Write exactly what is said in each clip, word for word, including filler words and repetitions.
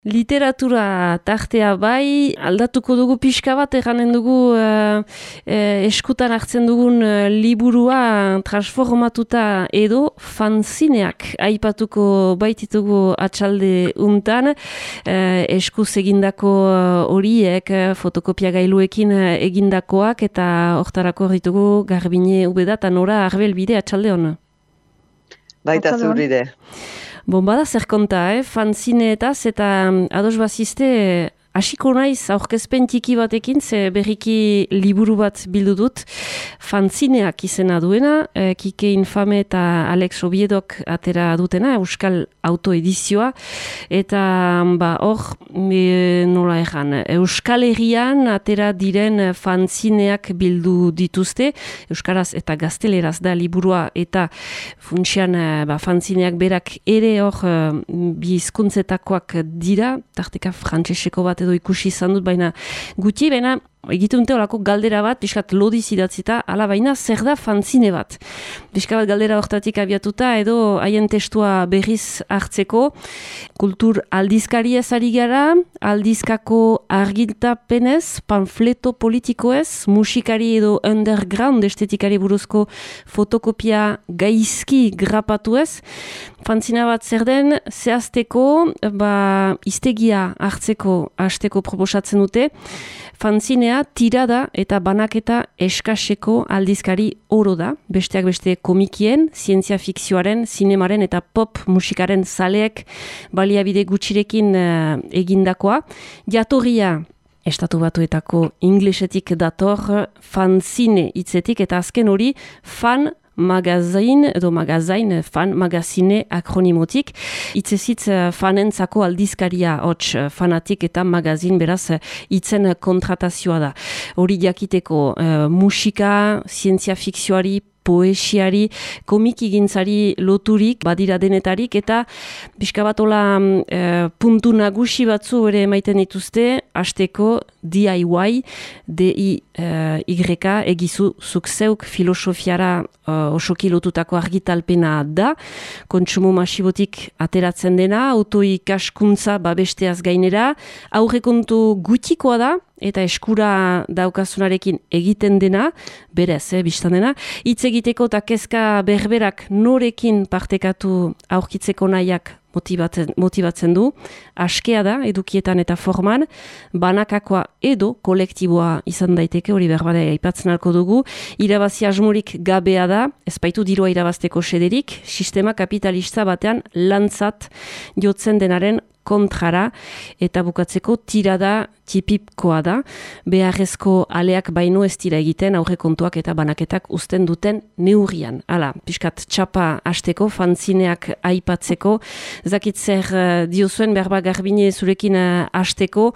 Literatura tartea bai, aldatuko dugu pixka bat, eganen dugu uh, uh, eskutan hartzen dugun uh, liburua transformatuta edo fanzineak aipatuko baititugu atxalde untan, uh, eskuz egindako horiek, uh, fotokopia gailuekin uh, egindakoak, eta hortarako ditugu Garbine Ubeda eta Nora Arbelbide atxalde hona. Baita zuride. Bon, bada zer konta, eh? Fanzineetaz eta ados bazizte hasiko naiz aurkezpen txiki batekin, ze berriki liburu bat bildu dut, fanzineak izena duena, eh, Kike Infame eta Alex Obiedok atera dutena, Euskal Autoedizioa, eta ba, hor, e, nola egan, Euskal Herrian atera diren fanzineak bildu dituzte, Euskaraz eta Gazteleraz da liburua, eta funtsian ba, fanzineak berak ere hor bi hizkuntzetakoak dira, tarteka frantseseko bat edo ikusi izan dut, baina gutxi, baina egiten dute olako galdera bat, pixkat lodiz idatzita, ala baina zer da fanzine bat. Pixka bat galdera hortatik abiatuta, edo haien testua berriz hartzeko, kultur aldizkari ezari gara, aldizkako argiltapenez, panfleto politikoez, musikari edo underground estetikari buruzko fotokopia gaizki grapatuez, fanzina bat zer den, zehazteko, ba, iztegia hartzeko hasteko proposatzen dute, fanzinea tirada eta banaketa eskaseko aldizkari oro da, besteak beste komikien, zientzia fikzioaren, zinemaren eta pop musikaren zaleek baliabide gutxirekin uh, egindakoa. Jatorria Estatu Batuetako inglesetik dator fanzine hitzetik, eta azken hori fan magazin edo magazain, fan magazine akronimotik. Itzezitz fanentzako aldizkaria hots fanatik eta magazin, beraz itzen kontratazioa da. Hori jakiteko uh, musika, zientzia fikzioari, poesiari, komiki gintzari loturik, badira denetarik, eta pixka bat hola e, puntu nagusi batzu ere emaiten dituzte, hasteko D I Y, D I Y, egizu zuk zeuk filosofiara uh, osoki lotutako argitalpena da, kontsumo masibotik ateratzen dena, autoikaskuntza babesteaz gainera, aurrekontu gutxikoa da, eta eskura daukasunarekin egiten dena, berez, eh, biztan dena, hitz egiteko eta kezka berberak norekin partekatu aurkitzeko nahiak motibatzen, motibatzen du, askea da, edukietan eta forman, banakakoa edo kolektiboa izan daiteke, hori berbada aipatzen alko dugu, irabazi asmorik gabea da, ez baitu dirua irabazteko sederik, sistema kapitalista batean lantzat jotzen denaren kontrara, eta bukatzeko tirada tipipkoa da, beharrezko aleak baino ez dira egiten aurrekontuak eta banaketak uzten duten neurrian. Hala, pixkat txapa hasteko, fanzineak aipatzeko, zakit zer uh, diozuen berba Garbine zurekin uh, hasteko,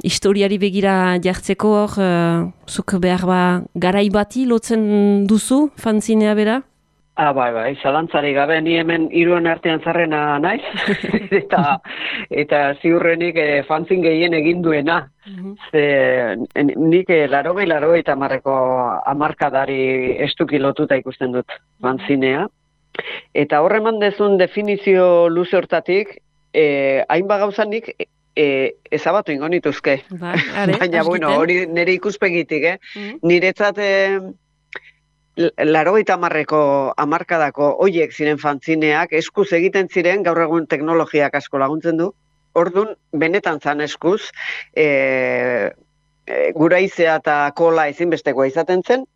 historiari begira jartzeko hor, uh, zuk berba garai bati lotzen duzu fanzinea bera? Ah, bai, bai, zalantzari gabe, ni hemen hiruen artean zarrena naiz, eta eta ziurrenik e, fanzin gehien egin duena. Mm-hmm. Ze, nik e, larogei, larogei eta marreko amarkadari estuki lotuta ikusten dut fanzinea. Eta horre eman dezun definizio luze hortatik, e, hainba gauzanik e, ezabatu ingo nituzke. Ba, are, baina, bueno, hori nire ikuspegitik, eh? Mm-hmm. Niretzat... E, Larogeita hamarreko hamarkadako hoiek ziren fanzineak, eskuz egiten ziren, gaur egun teknologiak asko laguntzen du. Ordun benetan zan eskuz, e, e, guraizea eta kola ezinbestekoa izaten zen,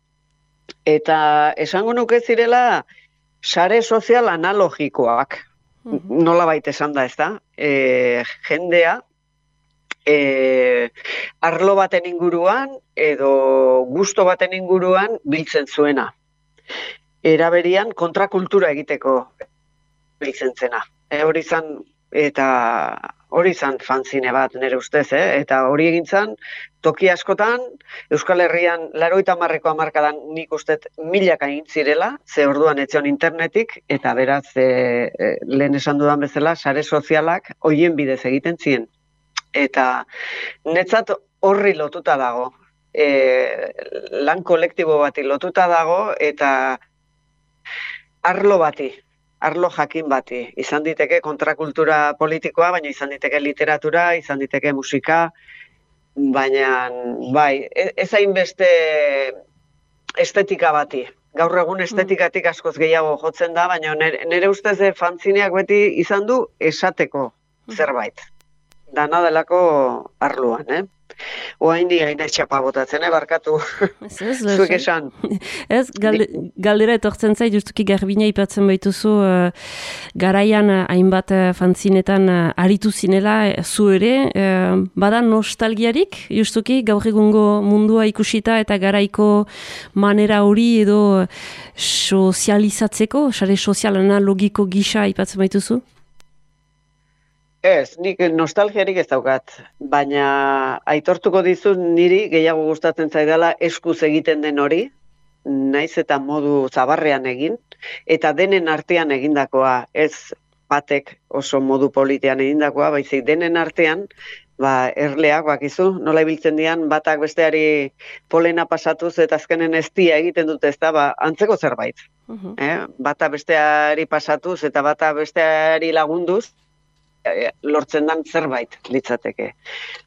eta esango nuke zirela sare sozial analogikoak, mm-hmm. nola baita esan da, ez da? E, jendea, E, arlo baten inguruan edo gusto baten inguruan biltzen zuena. Eraberian kontrakultura egiteko biltzen zena. E, hori zan, eta hori zan fanzine bat nire ustez, eh? Eta hori egintzan toki askotan, Euskal Herrian larogeita hamarreko hamarkadan nik ustet milaka egin zirela, ze orduan etzion internetik, eta beraz e, e, lehen esan dudan bezala, sare sozialak hoien bidez egiten ziren. Eta netzat horri lotuta dago, e, lan kolektibo bati lotuta dago, eta arlo bati, arlo jakin bati. Izan diteke kontrakultura politikoa, baina izan diteke literatura, izan diteke musika, baina bai, ez hainbeste estetika bati. Gaur egun estetikatik askoz gehiago jotzen da, baina nire, nire ustez fanzineak beti izan du esateko zerbait. Dana delako arloan, eh? Oain di gaina txapa botatzen, eh, barkatu. Ez, ez, zuek esan. Ez, galde, galdera etortzen zait, justuki Garbina ipatzen baituzu, uh, garaian uh, hainbat uh, fanzinetan uh, aritu zinela, uh, zu ere, uh, bada nostalgiarik, justuki gaur egungo mundua ikusita eta garaiko manera hori edo uh, sozializatzeko, sare sozialana logiko gisa ipatzen baituzu? Ez, nik nostalgiarik ez daukat, baina aitortuko dizut niri gehiago gustatzen zaidala eskuz egiten den hori, naiz eta modu zabarrean egin, eta denen artean egindakoa, ez batek oso modu politean egindakoa, baizik denen artean, ba, erleak bakizu, nola ibiltzen dian, batak besteari polena pasatuz eta azkenen eztia egiten dute, ez da, ba, antzeko zerbait. Uh-huh. eh? Bata besteari pasatuz eta bata besteari lagunduz, lortzen dan zerbait litzateke.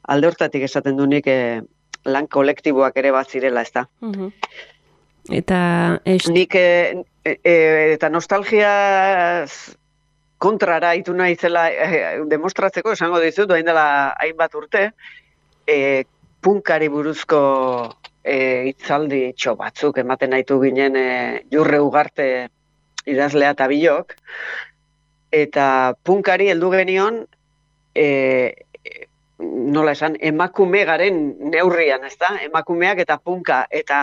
Alde hortatik esaten du nik eh, lan kolektiboak ere bat zirela, ez da. Uh-huh. Eta est... nik eh, eh, eta nostalgia kontrara itu naizela eh, demostratzeko esango dizut, doain dela hainbat urte, eh, punkari buruzko eh, itzaldi txo batzuk ematen naitu ginen eh, Jurre Ugarte idazlea eta bilok, eta punkari heldu genion, e, nola esan, emakume garen neurrian, ez da? Emakumeak eta punka, eta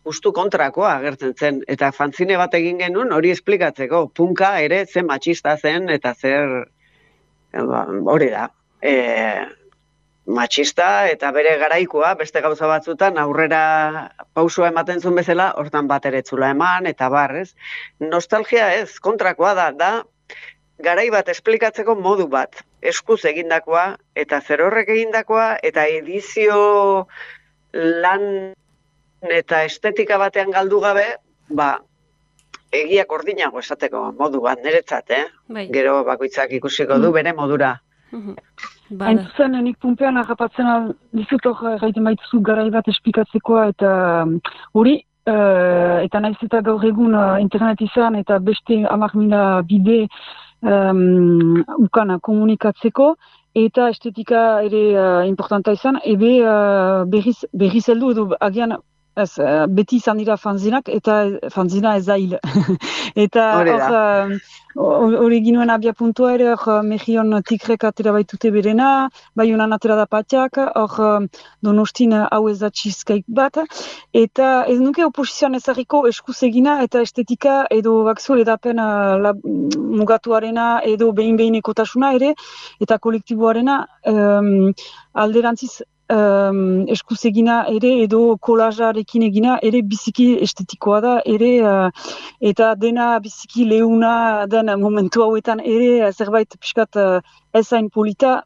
justu kontrakoa agertzen zen. Eta fanzine bat egin genuen hori esplikatzeko. Punka ere zen matxista zen, eta zer, hori da, e, matxista eta bere garaikoa, beste gauza batzutan aurrera pausua ematen zuen bezala, hortan bat ere etzula eman, eta bar, ez? Nostalgia ez, kontrakoa da, da, garai bat esplikatzeko modu bat, eskuz egindakoa, eta zer horrek egindakoa, eta edizio lan eta estetika batean galdu gabe, ba, egiak ordinago esateko modu bat, niretzat, eh? Bai. Gero bakoitzak ikusiko du bere modura. Hain zuzen, nik pumpean agapatzen dizut hor gaiten baituzu garai bat esplikatzeko, eta hori, uh, eta naiz eta gaur egun uh, internet izan, eta beste hamar mila bide, Um, ukana komunikatzeko, eta estetika ere uh, importanta izan, ebe uh, berriz, berriz heldu edo agian ez, uh, beti izan dira fanzinak, eta fanzina ez da hil. Eta hor hori ginuen abia puntua ere, hor Mejion Tigrek atera baitute berena, bai honan atera da patiak, hor Donostin hau ez da cheesecake bat, eta ez nuke oposizioan ezarriko eskuz egina eta estetika edo bakzu edapen uh, mugatuarena edo behin-behinekotasuna ere, eta kolektiboarena um, alderantziz Um, eskuz egina ere edo kolajarekin egina ere biziki estetikoa da ere uh, eta dena biziki leuna den momentu hauetan ere zerbait pixkat uh, ezain polita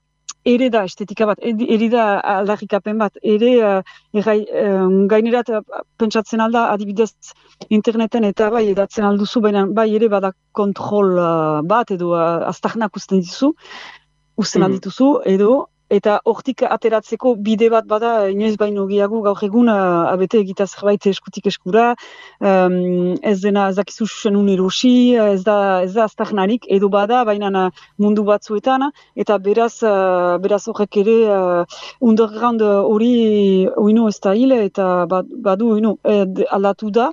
ere da estetika bat, ere da aldarrikapen bat, ere uh, errai, um, gainerat uh, pentsatzen alda adibidez interneten eta bai edatzen alduzu, baina bai ere bada kontrol uh, bat edo uh, aztarnak usten dituzu, usten mm-hmm. aldituzu edo eta hortik ateratzeko bide bat bada inoiz baino gehiago gaur egun uh, abete egita zerbait eskutik eskura, um, ez dena ez dakizu susenun erosi, ez da ez da aztarnarik, edo bada baina mundu batzuetan, eta beraz uh, beraz horrek ere uh, underground hori oinu ez da hil, eta badu oinu aldatu da.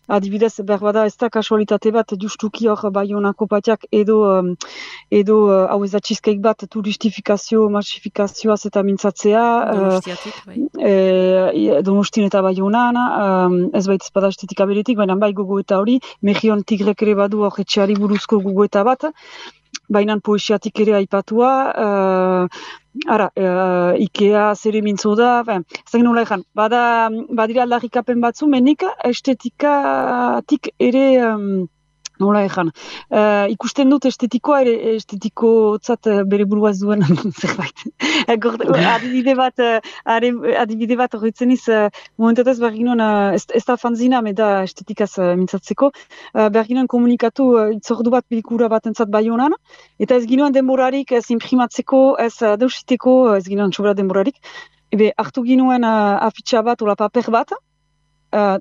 Adibidez, berbada ez da kasualitate bat, justuki hor Baionako patiak edo, um, edo uh, hau ez da cheesecake bat turistifikazio, massifikazioaz eta mintzatzea. Donostiatik, bai. E, Donostin eta Baionan, um, ez baita espada estetika beretik, baina bai gogoeta hori, Mejion Tigrek ere badu hor etxeari buruzko gogoeta bat, baina poesiatik ere aipatua, uh, ara, uh, Ikea zere mintzo da, ezagin nola ezan, bada, badira aldarrikapen batzu, menik estetikatik ere um, nola ezan. Uh, ikusten dut estetikoa, ere estetikotzat uh, bere burua zuen zerbait. adibide bat, uh, adibide bat horretzen iz, uh, momentatez behar ginoen, uh, ez, ez da fanzina, meda estetikaz uh, mintzatzeko, uh, behar ginoen komunikatu uh, itzordu bat pelikura bat entzat bai honan, eta ez ginoen denborarik ez imprimatzeko, ez uh, deusiteko, ez ginoen sobra denborarik, ebe hartu ginoen uh, afitxa bat, ola paper bat, Uh,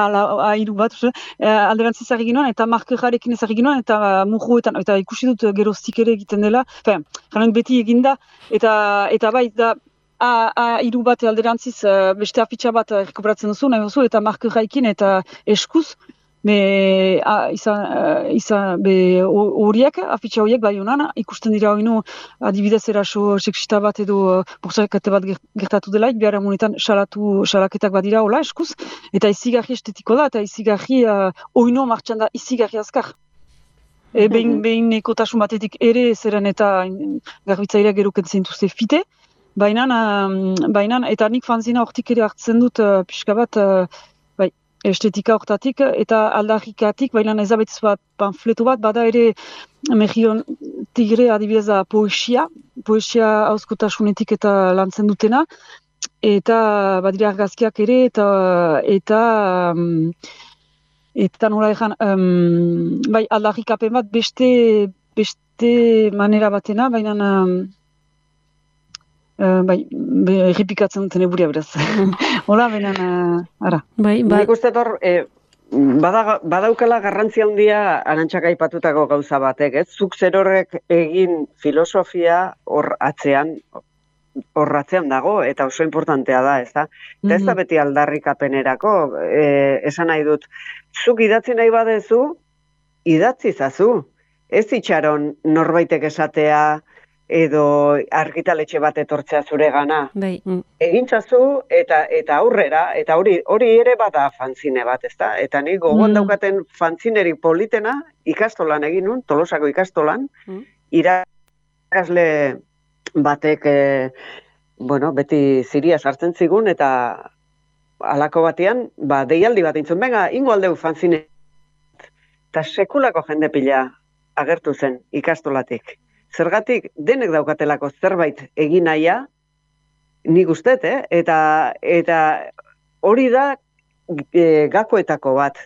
ala, airu bat, uh, alderantziz ari ginoen, eta markerarekin ez ari ginoen, eta uh, murruetan, eta ikusi dut uh, geroztik ere egiten dela, fen, jaren beti eginda, eta, eta bai, da, airu bat alderantziz uh, beste afitxa bat uh, rekuperatzen duzu, nahi duzu, eta markerarekin, eta eskuz, be, a, izan, uh, izan, be, horiek, afitxa horiek, bai honan, ikusten dira hori adibidez eraso seksista bat edo uh, borsakate bat gertatu delaik, behar amunetan salatu, salaketak bat dira, hola, eskuz, eta izigarri estetiko da, eta izigarri uh, oino martxan da izigarri azkar. E, behin, behin ekotasun batetik ere zeren eta garbitzaileak geruken zintuzte fite, baina, um, baina, eta nik fanzina hortik ere hartzen dut uh, pixka bat, uh, estetika hortatik eta aldarrikatik, baina ezabetz bat panfleto bat, bada ere Mejion Tigre adibidez da poesia, poesia hauskotasunetik eta lantzen dutena, eta badira argazkiak ere, eta eta um, eta nola egan, um, bai aldarrikapen bat beste, beste manera batena, baina um, Uh, bai, errepikatzen duten eburia beraz. Hola, benan, uh, ara. Bai, ba... Nik uste hor, eh, bada, badaukala garrantzia handia Arantxak aipatutako gauza batek, ez? Zuk zerorrek egin filosofia hor atzean, hor atzean dago, eta oso importantea da, ez da? Eta ez da beti aldarrikapenerako, eh, esan nahi dut, zuk idatzi nahi badezu, idatzi zazu. Ez itxaron norbaitek esatea, edo argitaletxe bat etortzea zure gana. Bai. Mm. Egintzazu eta eta aurrera, eta hori hori ere bada fanzine bat, ezta? Eta ni gogoan mm. daukaten fanzineri politena ikastolan egin nun, Tolosako ikastolan, mm. irakasle batek, e, bueno, beti ziria sartzen zigun, eta halako batean, ba, deialdi bat intzun, benga, ingo aldeu fanzine. Eta sekulako jende pila agertu zen ikastolatik. Zergatik denek daukatelako zerbait egin nahia, nik ustet, eh? eta, eta hori da e, gakoetako bat,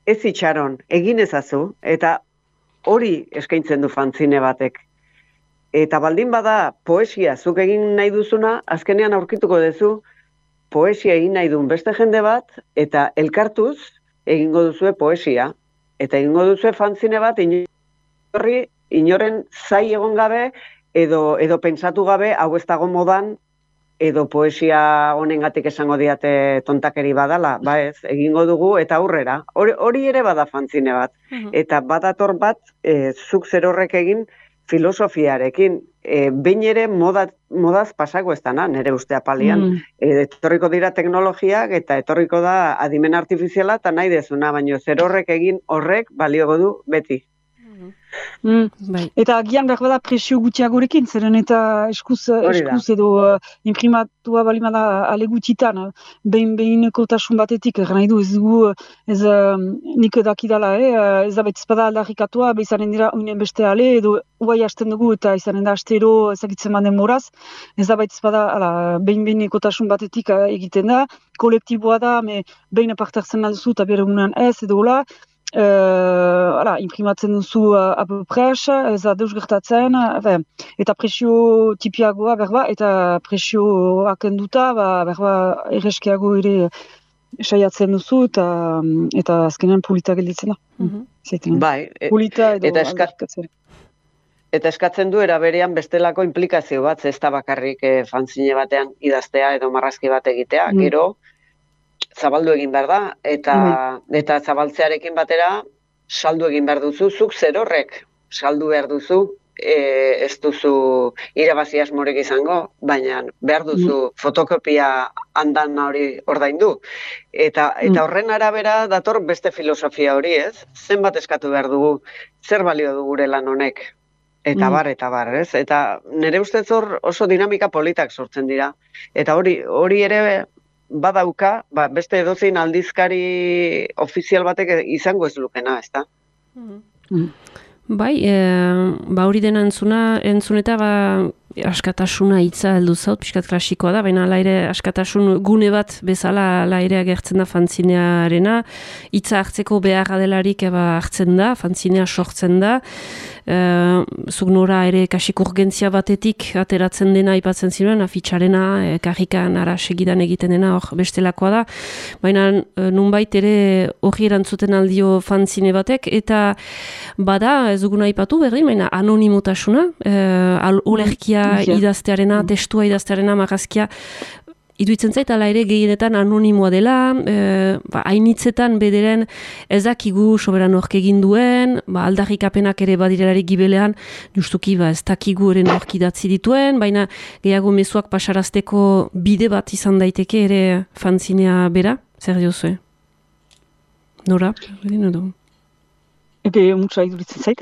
ez itxaron, egin ezazu, eta hori eskaintzen du fanzine batek. Eta baldin bada poesia zuk egin nahi duzuna, azkenean aurkituko duzu poesia egin nahi duen beste jende bat, eta elkartuz egingo duzue poesia, eta egingo duzue fanzine bat, inorri, inoren zai egon gabe, edo, edo pentsatu gabe, hau ez dago modan, edo poesia honengatik esango diate tontakeri badala, ba ez, egingo dugu, eta aurrera. Hori, hori ere bada fanzine bat. Uh-huh. Eta badator bat, e, zuk zer horrek egin filosofiarekin. E, behin ere moda, modaz pasako ez dana, nire ustea palian. Mm. E, etorriko dira teknologiak, eta etorriko da adimen artifiziala, eta nahi dezuna, baina zer horrek egin horrek baliogo du beti. Mm. Bai. Eta agian behar bada presio gutxiagorekin, zeren eta eskuz, eskuz edo uh, imprimatua balimada ale gutxitan, uh, behin-behineko tasun batetik, nahi du ez dugu, ez uh, nik dakidala, eh, ez da betizpada aldarrikatua, behizanen dira uinen beste ale, edo uai hasten dugu eta izanen da astero ezagitzen man denboraz, ez da betizpada behin-behineko tasun batetik uh, egiten da, kolektiboa da, me, behin apartartzen alduzu eta bere unan ez, edo hola, Uh, ala, imprimatzen duzu uh, apopres, ez da deus gertatzen, uh, eta presio tipiagoa berba, eta presio akenduta, ba, berba erreskiago ere saiatzen duzu, eta, eta azkenean polita gelditzen da. Mm-hmm. Bai, e, polita edo eta, eska, eta eskatzen du eraberean bestelako implikazio bat, ez da bakarrik eh, fanzine batean idaztea edo marrazki bat egitea, mm. gero, zabaldu egin behar da, eta, mm. eta zabaltzearekin batera saldu egin behar duzu, zuk zer horrek saldu behar duzu, e, ez duzu irabazi asmorik izango, baina behar duzu mm. fotokopia handan hori ordaindu. Eta, eta horren arabera dator beste filosofia hori, ez? Zenbat eskatu behar dugu, zer balio du gure lan honek? Eta bar, eta bar, ez? Eta nire ustez hor oso dinamika politak sortzen dira. Eta hori, hori ere badauka, ba, beste edozein aldizkari ofizial batek izango ez lukena, ezta? Mm. Bai, e, ba hori dena entzuna, entzuneta ba askatasuna hitza heldu zaut, pixkat klasikoa da, baina ala ere askatasun gune bat bezala ala ere agertzen da fanzinearena, hitza hartzeko beharra delarik eba hartzen da, fanzinea sortzen da, e, zuk nora ere kasik urgentzia batetik ateratzen dena aipatzen ziren, afitxarena, e, karrikan ara segidan egiten dena hor bestelakoa da, baina e, nunbait ere hori erantzuten aldio fanzine batek, eta bada ez duguna aipatu berdin, baina anonimotasuna, e, olerkia idaztearena, testua idaztearena, marrazkia, iduitzen zait, ala ere gehienetan anonimoa dela, e, ba, hainitzetan bederen ezakigu soberan hork egin duen, ba, aldarrikapenak ere badirelarik gibelean, justuki ba, ez dakigu ere nork idatzi dituen, baina gehiago mezuak pasarazteko bide bat izan daiteke ere fanzinea bera, zer diozue? Nora? Berdin edo? Ebe, mutsa iduritzen zait.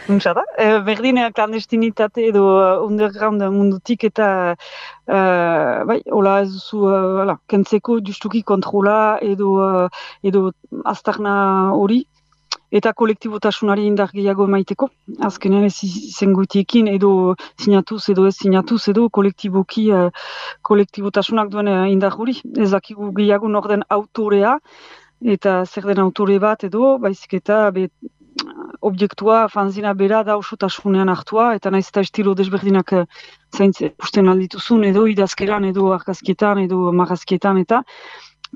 Nuntza da, e, berdin klandestinitate edo uh, underground mundutik eta uh, bai, hola ez duzu uh, kentzeko justuki kontrola edo, uh, edo aztarna hori eta kolektibotasunari indar gehiago emaiteko. Azkenean ez izengutiekin edo sinatuz edo ez sinatuz edo kolektiboki uh, kolektibotasunak duen uh, indar hori. Ez dakigu gehiago nor den autorea eta zer den autore bat edo, baizik eta be, objektua, fanzina bera da osotasunean hartua, eta naiz eta estilo desberdinak zaintze pusten aldituzun, edo idazkeran, edo argazkietan, edo marrazkietan, eta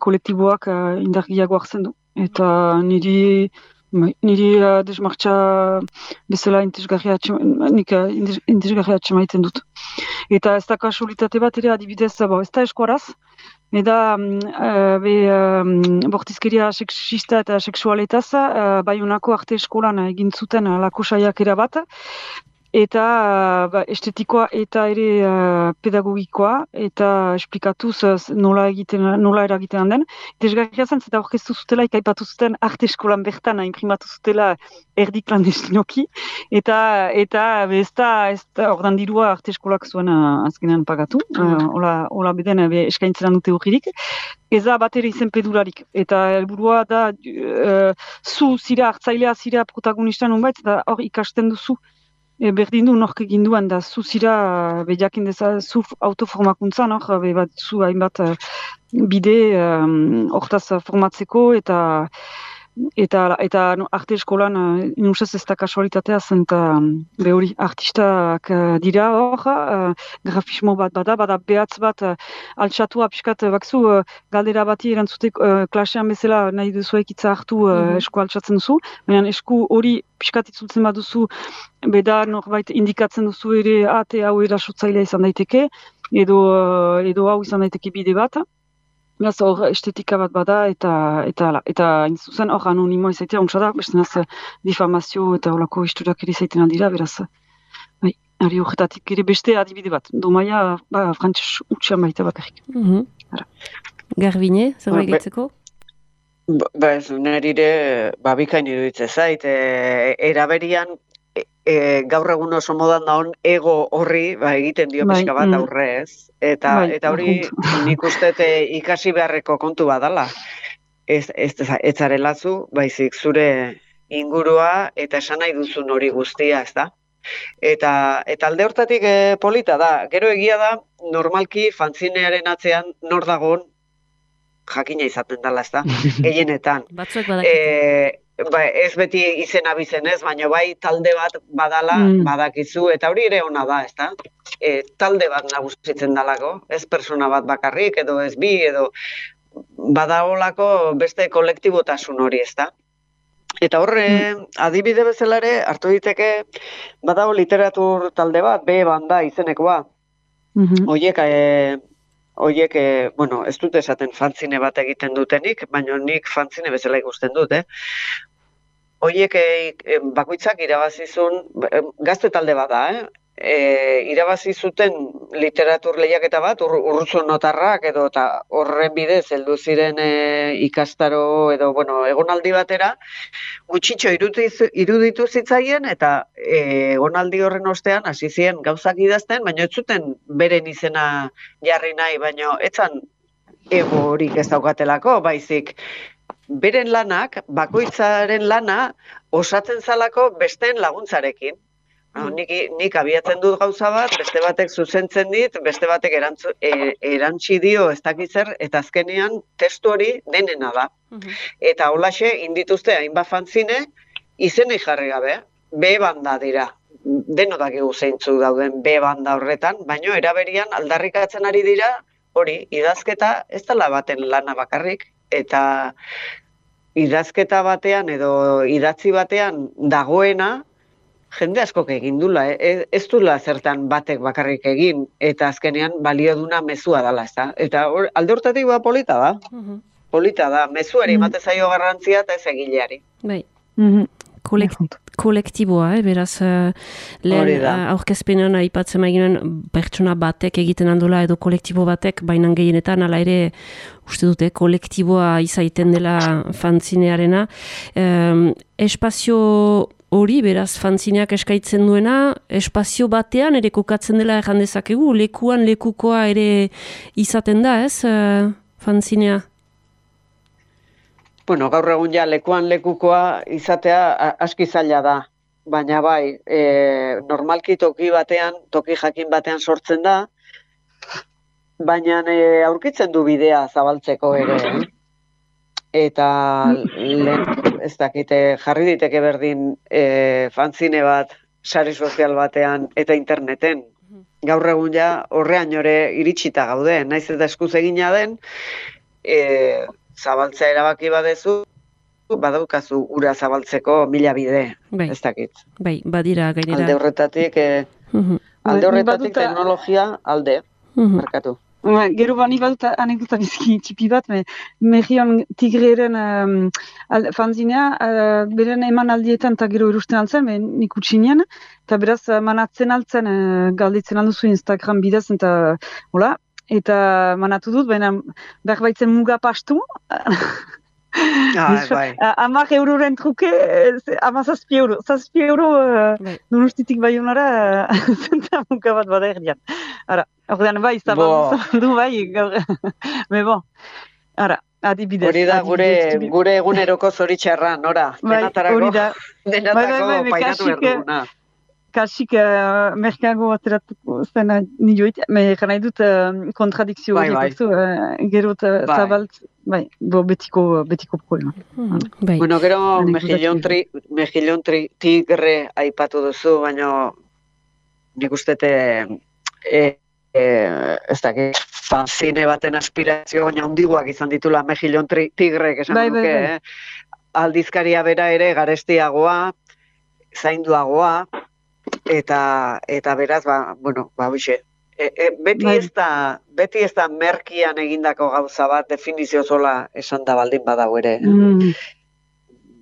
kolektiboak uh, indargiago hartzen du. Eta niri, niri uh, desmartxa bezala intezgarria atxemaiten dut. Eta ez da kasualitate bat ere adibidez, bo, ez da eskuaraz, Eda, uh, be, um, bortizkeria seksista eta seksualetaz, uh, Baionako arte eskolan egin zuten lako saiakera bat, eta uh, ba, estetikoa eta ere uh, pedagogikoa, eta esplikatuz uh, nola, egiten, nola eragiten den. Desgarria zen, eta orkestu zutela, ikaipatu zuten arte eskolan bertan, imprimatu zutela erdi klandestinoki, eta eta ez da, ez da, ordan dirua arte eskolak zuen uh, azkenean pagatu, uh, hola, hola beden uh, eskaintzen dute urririk, ez da bat ere izen pedularik, eta helburua da uh, zu zira hartzailea zira protagonista nonbait, eta hor ikasten duzu, E, berdin du nork egin duen, da zu zira bejakin deza, zu autoformakuntza, nor, be bat zu hainbat uh, bide hortaz um, formatzeko, eta eta eta no, arte eskolan uh, inusez ez da kasualitatea zen, eta um, be hori artistak uh, dira hor, uh, grafismo bat bada, bada behatz bat uh, altxatua pixkat, uh, bakzu uh, galdera bati erantzutek uh, klasean bezala nahi duzuek itza hartu uh, mm-hmm. esku altxatzen duzu, baina esku hori pixkat itzultzen baduzu, beda norbait indikatzen duzu ere ate hau erasotzailea izan daiteke, edo, uh, edo hau izan daiteke bide bat. Beraz, hor estetika bat bada, eta eta eta zuzen hor anonimoa izaitea, ontsa da, beste naz difamazio eta horako historiak ere izaiten aldira, beraz, bai, ari horretatik ere beste adibide bat, domaia, ba, frantxez utxean baita bakarrik. Mm-hmm. Garbine, zer bai gaitzeko? Ba, ez, nerire, ba, bikain iruditzen zait, e, eraberian, E, gaur egun oso modan daun ego horri ba, egiten dio pixka bat bai, aurre ez. Eta, bai, eta hori nik uste ikasi beharreko kontu badala. Ez, ez, ez zarelazu, baizik zure ingurua eta esan nahi duzun hori guztia, ez da? Eta, eta alde hortatik e, polita da. Gero egia da, normalki fanzinearen atzean nor dagoen jakina izaten dela, ez da? Gehienetan. Batzuek badakite. Ba, ez beti izena bizen ez, baina bai talde bat badala, mm. badakizu, eta hori ere ona da, ezta? E, talde bat nagusitzen dalako, ez persona bat bakarrik, edo ez bi, edo badaolako beste kolektibotasun hori, ezta? Eta horre, mm. adibide bezala ere, hartu diteke, badago literatur talde bat, B banda izenekoa. Mm-hmm. Oiek, e, oiek, e, bueno, ez dut esaten fanzine bat egiten dutenik, baina nik fanzine bezala ikusten dut, eh? Oiek e, bakoitzak irabazizun, gazte talde bat da, eh? E, irabazi zuten literatur lehiaketa bat, ur, urrutzu notarrak, edo eta horren bidez heldu ziren e, ikastaro, edo, bueno, egonaldi batera, gutxitxo iruditu, iruditu zitzaien, eta e, egonaldi horren ostean hasi ziren gauzak idazten, baina ez zuten beren izena jarri nahi, baina etzan ego horik ez daukatelako, baizik, beren lanak, bakoitzaren lana, osatzen zalako besteen laguntzarekin. Mm. Nik, nik abiatzen dut gauza bat, beste batek zuzentzen dit, beste batek erantzu, e, erantzi dio ez dakitzer, eta azkenean testu hori denena da. Mm-hmm. Eta holaxe, indituzte hainbat fanzine, izenei jarri gabe, B-banda dira. Denotak egu zeintzu dauden B-banda horretan, baino eraberian aldarrikatzen ari dira, hori, idazketa ez dela baten lana bakarrik, eta idazketa batean edo idatzi batean dagoena, jende askok egin dula, eh? Ez dula zertan batek bakarrik egin, eta azkenean balio duna mezua dela, ez da? Eta or, alde hortatik ba polita da, uh-huh. polita da, mezuari emate uh-huh. zaio garrantzia eta ez egileari. Bai. Uh-huh. Kolekt, kolektiboa, eh? Beraz, uh, lehen uh, aurkezpenean aipatzen maiginen pertsona batek egiten handula edo kolektibo batek, bainan gehienetan, ala ere, uste dute, kolektiboa izaiten dela fanzinearena. Um, espazio hori, beraz, fanzineak eskaitzen duena, espazio batean ere kokatzen dela erran dezakegu, lekuan lekukoa ere izaten da, ez, uh, fanzinea? Bueno, gaur egun ja lekuan lekukoa izatea aski zaila da, baina bai, e, normalki toki batean, toki jakin batean sortzen da, baina e, aurkitzen du bidea zabaltzeko ere, eh? Eta lehen, ez dakite, jarri diteke berdin e, fanzine bat, sare sozial batean eta interneten. Gaur egun ja horrean ore iritsita gaude, naiz eta eskuz egina den, e, zabaltzea erabaki badezu, badaukazu ura zabaltzeko mila bide, bai. Ez dakit. Bai, badira gainera. Alde horretatik, e, uh-huh. alde horretatik baduta... teknologia alde, uh-huh. markatu. Gero bani badut anekdota bizki txipi bat, me, Mejion Tigreren um, al, fanzinea, uh, beren eman aldietan eta gero erusten altzen, me, nik utxinean, eta beraz manatzen altzen, uh, galditzen alduzu Instagram bidez, eta hola, eta manatu dut, baina behar baitzen muga pastu, Ah, bai. Amak euroren truke, ama zazpi euro. Zazpi euro, uh, donostitik bai honara, zenta muka bat bada erdian. Ara, ordean bai, zabaldu bai, gaur. Me bon, ara, adibidez. Hori da gure, gure eguneroko zoritxarra, nora. Bai, hori da. Denatako painatu erduguna. Kasik uh, merkago ateratuko zena nioit, me nahi dut uh, kontradikzio hori, bai, bai. uh, gero uh, bai. Zabalt, bai, bo betiko, betiko problema. Hmm, bai. Bueno, gero Mejillon tri, Mejillon tri, Tigre aipatu duzu, baina nik ustete e, e, ez dakit, fanzine baten aspirazio baina handiguak izan ditula Mejillon tri, Tigre, esan bai, duke, bai, bai. Eh? Aldizkaria bera ere garestiagoa, zainduagoa, Eta, eta beraz, ba, bueno, ba, hoxe, e, e, beti, ez da, beti ez da merkian egindako gauza bat, definizio zola esan da baldin badago ere. Mm.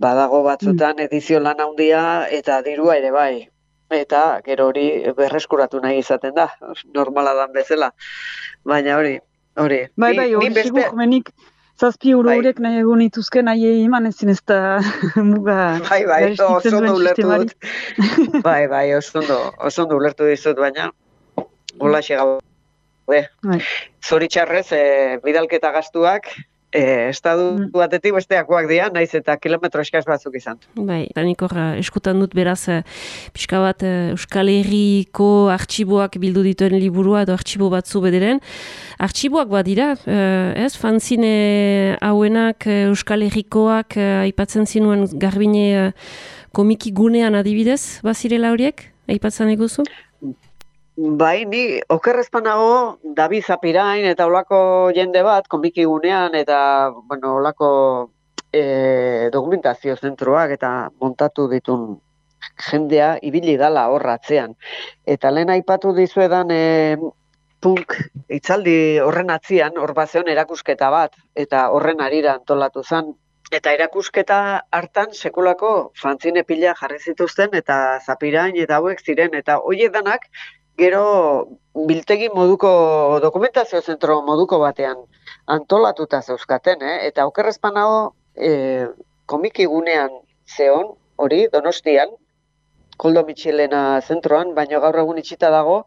Badago batzutan mm. edizio lan handia eta dirua ere bai. Eta gero hori berreskuratu nahi izaten da, normala dan bezala. Baina hori, hori. Bai, bai, hori beste... sigur, menik, zazpi euro horiek bai. Nahi egun ituzke nahi eman ezin ez da muga... Bai, bai, oso ondo ulertu dut. Bai, bai, oso ondo ulertu dizut, baina hola xegau. Bai. Zoritxarrez, e, bidalketa gastuak, e, estadu batetik besteakoak dira, naiz eta kilometro eskaz batzuk izan. Bai, eta nik hor, eskutan dut beraz, pixka bat Euskal Herriko artxiboak bildu dituen liburua edo artxibo batzu bederen. Artxiboak badira, ez, fanzine hauenak Euskal Herrikoak aipatzen zinuen Garbine komiki gunean adibidez, bazirela horiek, aipatzen eguzu? Bai, ni okerrezpanago David Zapirain eta olako jende bat komiki gunean eta bueno, olako e, dokumentazio zentroak eta montatu ditun jendea ibili dala horratzean. Eta lehen aipatu dizuedan e, punk itzaldi horren atzian, hor bazeon erakusketa bat, eta horren arira antolatu zen. Eta erakusketa hartan sekulako fanzine pila jarri zituzten eta Zapirain eta hauek ziren. Eta hoiedanak gero biltegi moduko dokumentazio zentro moduko batean antolatuta zeuzkaten, eh? Eta okerrezpanago e, komiki gunean zeon, hori, Donostian, Koldo Mitxelena zentroan, baina gaur egun itxita dago.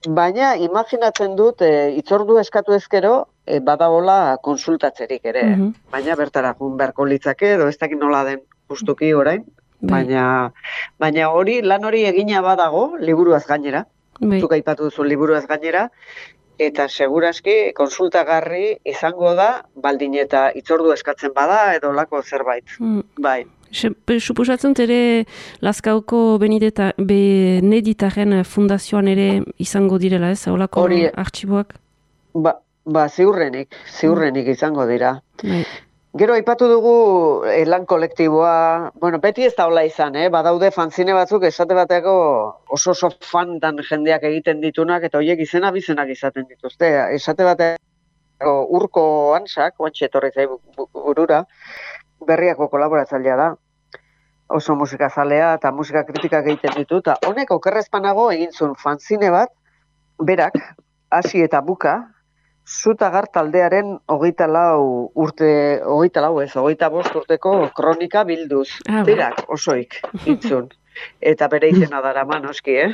Baina imaginatzen dut, e, itzordu eskatu ezkero, e, badagola konsultatzerik ere, Mhm. baina bertara jun beharko litzake, edo ez dakit nola den justuki orain, Bai. baina, baina hori, lan hori egina badago, liburuaz gainera, Bai. zuk aipatu duzu liburuaz gainera, eta seguraski konsultagarri izango da, baldin eta itzordu eskatzen bada, edo lako zerbait. Mm. Bai. Suposatzen ere Lazkaoko Benedeta, Beneditaren fundazioan ere izango direla, ez? Olako Hori, artxiboak? Ba, ba ziurrenik, ziurrenik izango dira. Bai. Gero aipatu dugu eh, lan kolektiboa, bueno, beti ez da hola izan, eh? Badaude fanzine batzuk esate bateko oso oso fantan jendeak egiten ditunak, eta horiek izena bizenak izaten dituzte. Esate bateko Urko Antsak, oantxe etorri zaigu burura, Berriako kolaboratzailea da. Oso musikazalea eta musika kritikak egiten ditu, eta honek okerrezpanago egin zuen fanzine bat, berak, hasi eta buka, Zutagar taldearen hogeita lau urte, hogeita lau ez, hogeita bost urteko kronika bilduz. Ah, Berak, osoik, intzun. Eta bere izena darama noski, eh?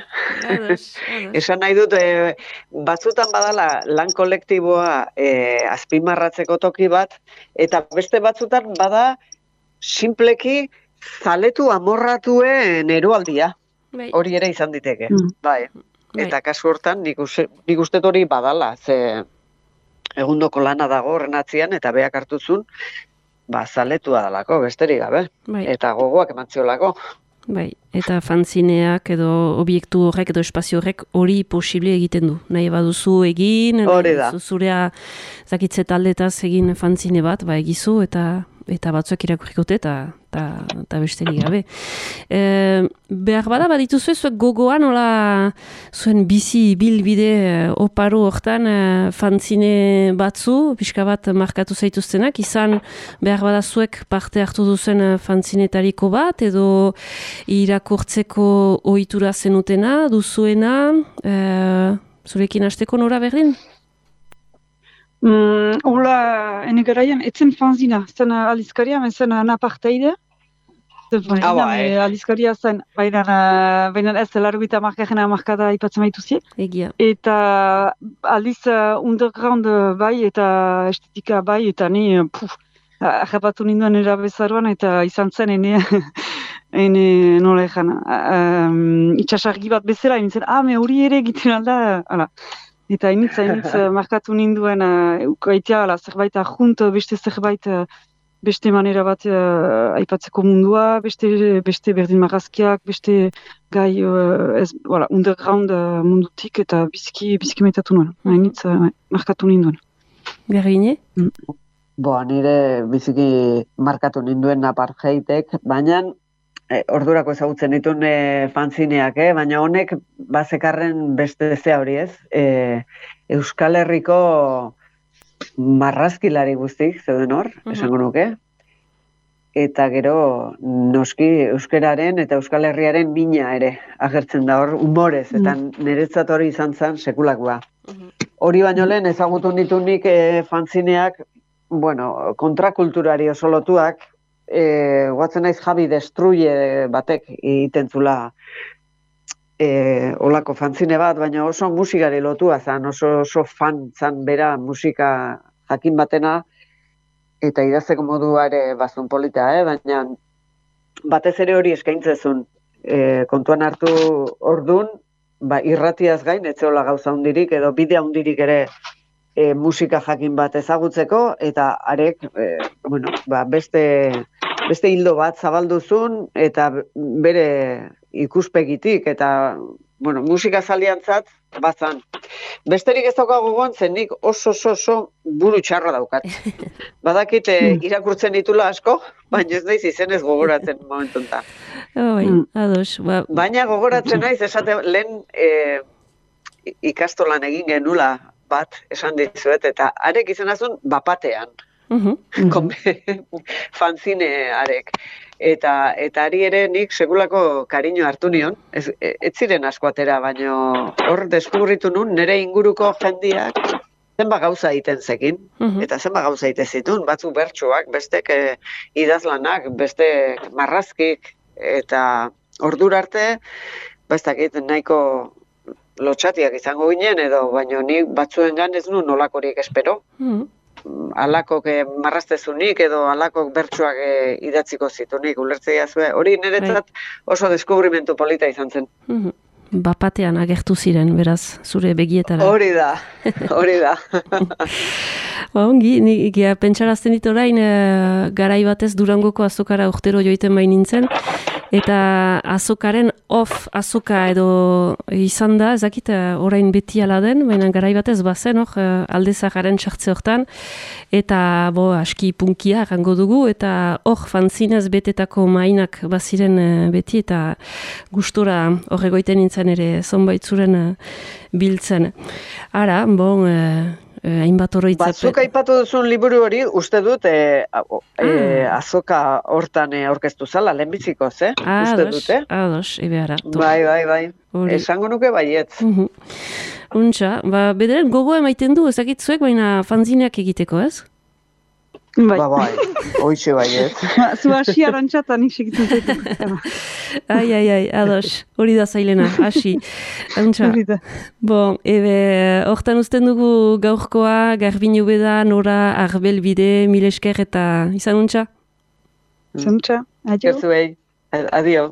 Ados, ados. Esan nahi dut, e, batzutan badala lan kolektiboa e, azpimarratzeko toki bat, eta beste batzutan bada simpleki zaletu amorratuen eroaldia. Bai. Hori ere izan diteke, Mm. bai. Bai. Eta kasu hortan nik uste, nik uste hori badala, ze egundoko lana dago horren atzian, eta beak hartuzun, ba, zaletua dalako, besterik gabe. Bai. Eta gogoak emantziolako. Bai, eta fanzineak edo obiektu horrek edo espazio horrek hori posible egiten du. Nahi baduzu egin, Hori nahi da. baduzu zurea zakitze taldetaz egin fanzine bat, ba egizu eta eta batzuek irakurrikote eta eta eta besterik gabe. E, behar bada badituzu zuek gogoan nola zuen bizi bilbide oparo hortan e, fanzine batzu, pixka bat markatu zaituztenak, izan behar bada zuek parte hartu duzen fanzinetariko bat, edo irakurtzeko ohitura zenutena, duzuena, e, zurekin hasteko Nora berdin? Mm, Ola, ene garaian, etzen fanzina, zen alizkaria, zen naparteide. Zen fanzina, Ah, bai. me alizkaria zen, baina, baina ez largoita markajena markada ipatzen baituzie. Egia. Eta aldiz uh, underground uh, bai eta estetika bai, eta ni, uh, puf, ahapatu ninduen erabezaruan, eta izan zen ene, ene nola egan, um, itxasargi bat bezala, nintzen, ah, me hori ere egiten alda, ala. Eta hainitz, hainitz, uh, markatu ninduen, uh, ukaitea, ala, zerbait ajunt, beste zerbait, uh, beste manera bat uh, aipatzeko mundua, beste, beste berdin marrazkiak, beste gai, uh, ez, voilà, underground uh, mundutik, eta bizki, bizki metatu nuen. Hainitz, uh, markatu ninduen. Gergine? Boa, nire biziki markatu ninduen apartheitek, baina e, ordurako ezagutzen ditun e, fanzineak, eh? Baina honek bazekarren beste zea hori ez. E, Euskal Herriko marrazkilari guztik, zeuden hor, esango nuke. Eta gero noski euskararen eta Euskal Herriaren mina ere agertzen da hor, humorez, eta niretzat hori izan zen sekulakoa. Hori baino lehen ezagutu ditunik e, fanzineak, bueno, kontrakulturari oso lotuak, e, guatzen naiz Javi Destruye batek egiten zula e, olako fanzine bat, baina oso musikari lotua zan, oso, oso fan zan bera musika jakin batena, eta idazteko modua ere bazun polita, eh? Baina batez ere hori eskaintzezun. E, kontuan hartu ordun, ba, irratiaz gain, etzeola gauza hundirik, edo bidea hundirik ere e, musika jakin bat ezagutzeko, eta arek, e, bueno, ba, beste, beste hildo bat zabalduzun, eta bere ikuspegitik, eta bueno, musika zaliantzat, bazan. Besterik ez daukago gogoan, zen nik oso oso oso buru txarra daukat. Badakit eh, irakurtzen ditula asko, baina ez naiz izenez gogoratzen momentuntan. Bai, ados. Ba... Baina gogoratzen naiz, esate lehen eh, ikastolan egin genula bat, esan dizuet, eta arek izanazun bapatean. Uh-huh. Fanzine arek. Eta, eta ari ere nik segulako kariño hartu nion, ez, ez ziren asko atera, baina hor deskubritu nun nire inguruko jendiak zenba gauza egiten zekin, uh-huh. Eta zenba gauza egiten zitun, batzuk bertsuak, bestek eh, idazlanak, beste marrazkik, eta ordura arte, ba ez dakit nahiko lotxatiak izango ginen, edo, baino nik batzuengan ez nu nolakorik espero. Mm. Alakok eh, marraztezunik edo alakok bertsuak eh, idatziko zitunik, ulertzea zuen. Hori niretzat oso deskubrimentu polita izan zen. Mm-hmm. Bapatean agertu ziren, beraz, zure begietara. Hori da, hori da. Ba, ongi, nik pentsarazten dit orain, e, garai batez Durangoko azokara urtero joiten bain nintzen, eta azokaren off azoka edo izan da, ezakit, orain beti ala den, baina garai batez bazen, hor, aldezakaren txartze hortan, eta bo, aski punkia errango dugu, eta hor fanzinez betetako mainak baziren beti, eta gustora hor egoiten nintzen ere zonbait zuren biltzen. Ara, bon, e, hainbat oroitzapen. Batzuk aipatu duzun liburu hori, uste dut, e, e, azoka hortan aurkeztu zala, lehenbizikoz, eh? Ah, uste ados, dut, eh? ados, ebe ara. Bai, bai, bai. Uri. Esango nuke baietz. Uh-huh. Untxa, ba, bederen gogoa emaiten du, ezakitzuek, baina fanzineak egiteko, ez? Bai. Ba, bai, hoitxe baietz. Zu hasi arantxata nik segitzen zaitu. Ai, ai, ai, ados, hori da zailena, hasi. Untxa, bon, ebe, hortan uzten dugu gaurkoa, Garbin Ubeda, Nora, Arbel Bide, Milesker eta izan untxa? Izan untxa, adio. Gerzuei, adio.